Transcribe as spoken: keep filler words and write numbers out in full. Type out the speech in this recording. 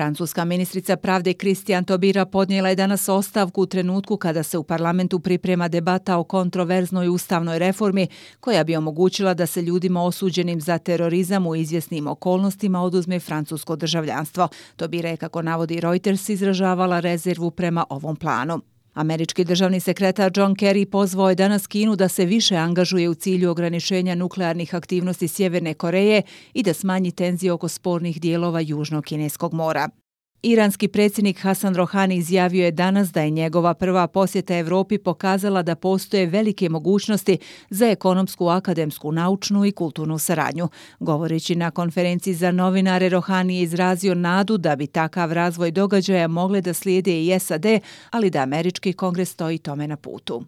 Francuska ministrica pravde Christiane Taubira podnijela je danas ostavku u trenutku kada se u parlamentu priprema debata o kontroverznoj ustavnoj reformi koja bi omogućila da se ljudima osuđenim za terorizam u izvjesnim okolnostima oduzme francusko državljanstvo. Taubira je, kako navodi Reuters, izražavala rezervu prema ovom planu. Američki državni sekretar John Kerry pozvao je danas Kinu da se više angažuje u cilju ograničenja nuklearnih aktivnosti Sjeverne Koreje i da smanji tenzije oko spornih dijelova Južnog Kineskog mora. Iranski predsjednik Hasan Rohani izjavio je danas da je njegova prva posjeta Europi pokazala da postoje velike mogućnosti za ekonomsku, akademsku, naučnu i kulturnu saradnju. Govoreći na konferenciji za novinare, Rohani je izrazio nadu da bi takav razvoj događaja mogle da slijede i S A D, ali da američki kongres stoji tome na putu.